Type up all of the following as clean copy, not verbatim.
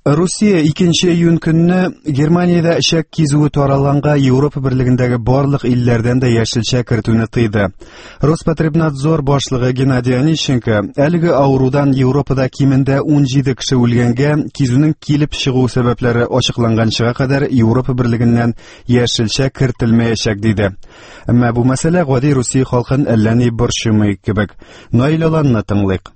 Русия 2 июнь көнне Германиядә эчәк кизүе таралганга Европа берлегендәге барлык илләрдән дә яшелчә кертүне тыйды. Роспотребнадзор башлыгы Геннадий Онищенко әлеге авырудан Европада кимендә 17 кеше үлгәнгә кизүнең килеп чыгу сәбәпләре ачыкланганчыга кадәр Европа берлегеннән яшелчә кертелмәячәк диде. Әмма бу мәсьәлә гади Русия халкын әллә ни борчымый кебек. Наил Аланны тыңлыйк.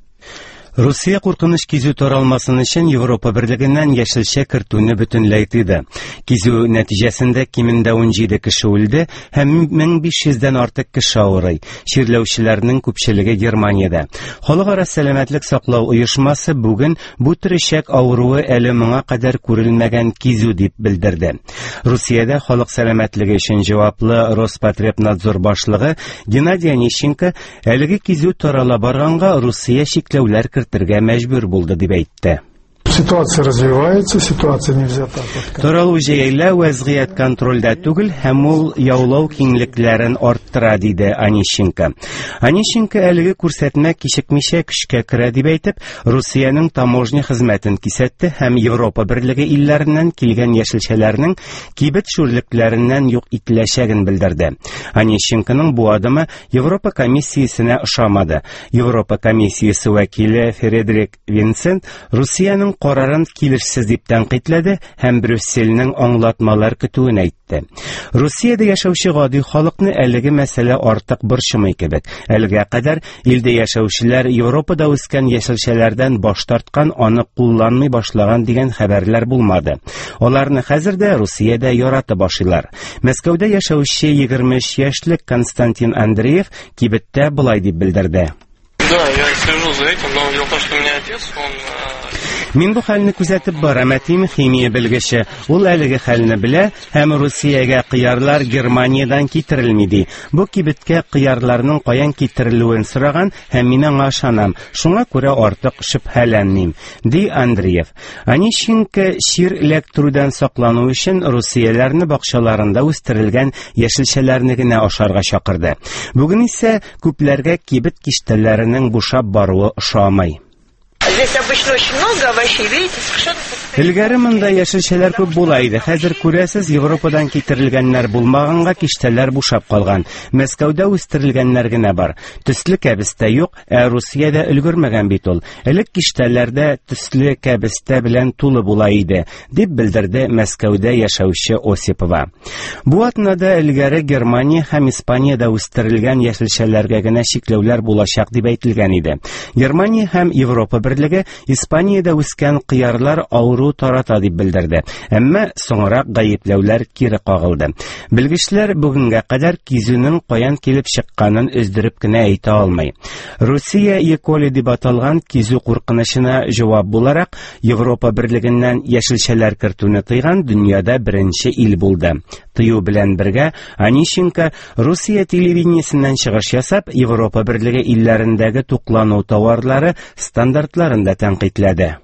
Русия куркыныч кизү таралмасын өчен Европа берлегеннән яшелчә кертүне бөтенләй тыйды. Кизү нәтиҗәсендә кимендә 17 кеше үлде һәм 1500дән артык кеше авырый. Чирләүчеләрнең күпчелеге Германиядә. Халыкара сәламәтлек саклау оешмасы бүген бу төр эчәк авыруы әле моңа кадәр күрелмәгән кизү дип белдерде. Русиядә халык сәламәтлеге өчен җаваплы Роспотребнадзор башлыгы Геннадий Онищенко Әлеге кизү тарала барганга Русия чикләүләр кертергә мәҗбүр булды дип әйтте. Ситуация развивается, ситуация не взята под Таралу җәелә, вәзгыять контрольдә түгел һәм ул яулау киңлекләрен арттыра, диде Онищенко. Онищенко әлеге күрсәтмә кичекмичә көчкә керә дип әйтеп, Русиянең таможня хезмәтен кисәтте һәм Европа берлеге илләреннән килгән яшелчәләрнең кибет шүрлекләреннән юк ителәчәген белдерде. Онищенконың бу адымы Европа комиссиясенә ошамады. Европа комиссиясе вәкиле Фредрик Винсент Русиянең карарын килешсез дип тәнкыйтьләде һәм Брюссельнең аңлатмалар көтүен әйтте. Русиядә яшәүче гади халыкны әлеге мәсьәлә артык борчымый кебек. Әлегә кадәр илдә яшәүчеләр Европада үскән яшелчәләрдән баш тарткан, аны кулланмый башлаган дигән хәбәрләр булмады. Аларны хәзер дә Русиядә яратып ашыйлар. Мәскәүдә яшәүче 23 яшьлек Константин Андреев кибеттә болай дип белдерде. Да, я слежу за этим, но дело в том, что у меня отец, он э, Мин бу хәлне күзәтеп барам, әтием химия белгече. Ул әлеге хәлне белә һәм Русиягә кыярлар Германиядән китерелми ди. Бу кибеткә кыярларның каян китерелүен сораган һәм мин аңа ышанам. Шуңа күрә артык шөбһәләнмим, ди Андреев. Онищенко чир эләктерүдән саклану өчен русияләрне бакчаларында үстерелгән яшелчәләрне генә ашарга чакырды. Бүген исә күпләргә кибет киштәләренең бушап баруы ошамый. Здесь обычно очень много овощей, видите, совершенно Элгәре монда яшелчәләр күп була иде. Хәзер күрәсез, Европадан китерелгәннәр булмаганга киштәләр бушап калган. Мәскәүдә үстерелгәннәр генә бар. Төсле кәбестә юк, Ә Русиядә өлгермәгән бит ул. Элек киштәләрдә төсле кәбестә белән тулы була иде, дип белдерде Мәскәүдә яшәүче Осипова. Бу атнада элгәре Германия һәм Испаниядә үстерелгән яшелчәләргә генә чикләүләр булачак дип әйтелгән иде. Германия һәм Европа берлеге Испаниядә үскән кыярлар авыру тарата дип белдерде. Әмма соңрак гаепләүләр кире кагылды. Белгечләр бүгенгә кадәр кизүнең каян килеп чыкканын өздереп кенә әйтә алмый. Русия Еколи дип аталган кизү куркынычына җавап буларак Европа берлегеннән яшелчәләр кертүне тыйган дөньяда беренче ил булды. Тыю белән бергә Онищенко Русия телевидениесеннән чыгыш ясап, Европа берлеге илләрендәге туклану товарлары стандартларын да тәнкыйтьләде.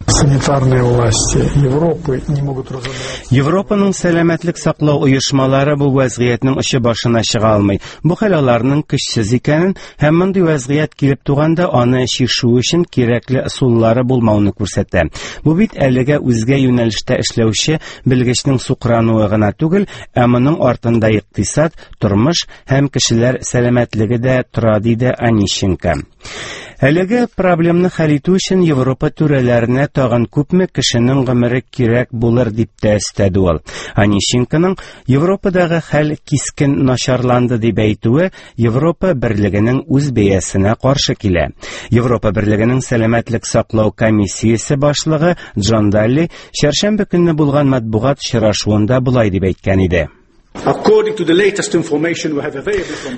Санитарные власти Европы не могут разобраться. Европаның сәламәтлек саклау оешмалары бу вәзгыятьнең очы башына чыга алмый. Бу хәл аларның көчсез икәнен һәм мондый вәзгыять килеп туганда аны чишү өчен кирәкле ысуллары булмауны күрсәтә. Бу бит әлегә үзгә юнәлештә эшләүче белгечнең сукрануы гына түгел, ә моның артында икътисад, тормыш һәм кешеләр сәламәтлеге дә тора, диде Онищенко. Әлеге проблемны хәл итү өчен Европа түрәләренә тагын күпме кешенең гомере кирәк булыр дип тә өстәде ул. Онищенконың Европадагы хәл кискен начарланды дип әйтүе Европа берлегенең үз бәясенә каршы килә. Европа берлегенең сәламәтлек саклау комиссиясе башлыгы Джон Далли чәршәмбе көнне булган матбугат очрашуында болай дип әйткән иде.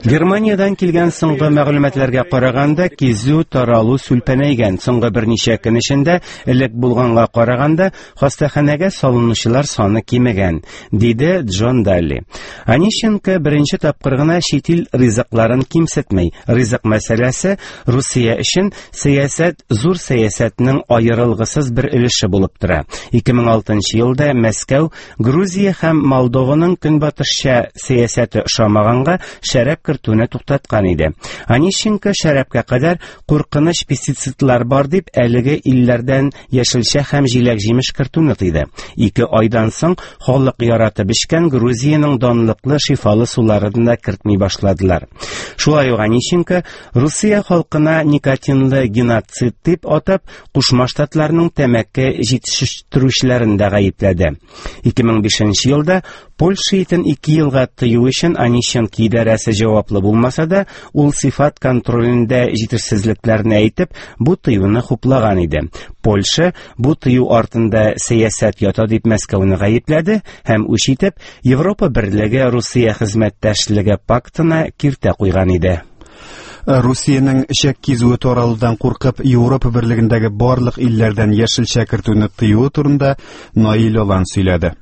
Германиядән килгән соңгы мәгълүматларга караганда, кизү таралу сүлпәнәйгән. Соңгы берничә көн эчендә элек булганга караганда хастаханәгә салынучылар саны кимегән, диде Джон Далли. Онищенко беренче тапкыр гына чит ил ризыкларын кимсетми. Ризык мәсьәләсе Русия өчен сәясәт зур сәясәтнең аерылгысыз бер өлеше булып тора. 2006 елда Мәскәү Грузия һәм Молдованың көнбатыш Польша сәясәте ошамаганга, шәраб кертүне туктаткан иде. Онищенко шәрабка кадәр куркыныч пестицидлар бар дип, әлеге илләрдән яшелчә һәм җиләк-җимеш кертүне тыйды. 2 айдан соң халык яратып эчкән Грузиянең данлыклы шифалы суларын да кертми башладылар. Шулай ук Онищенко Русия халкына никотинлы геноцид дип атап, Кушма Штатларның тәмәке җитештерүчеләрен дә гаепләде. 2005 елда Польша итен 2 елга тыю өчен Онищенко идарәсе җаваплы булмаса да, ул сыйфат контролендә җитешсезлекләрне әйтеп, бу тыюны хуплаган иде. Польша бу тыю артында сәясәт ята дип Мәскәүне гаепләде һәм үч итеп Европа Берлеге Русия хезмәттәшлеге пактына киртә куйган иде. Русиянең эчәк кизүе таралудан куркып, Европа Берлегендәге барлык илләрдән яшелчә кертүне тыюы турында Наил Алан сөйләде.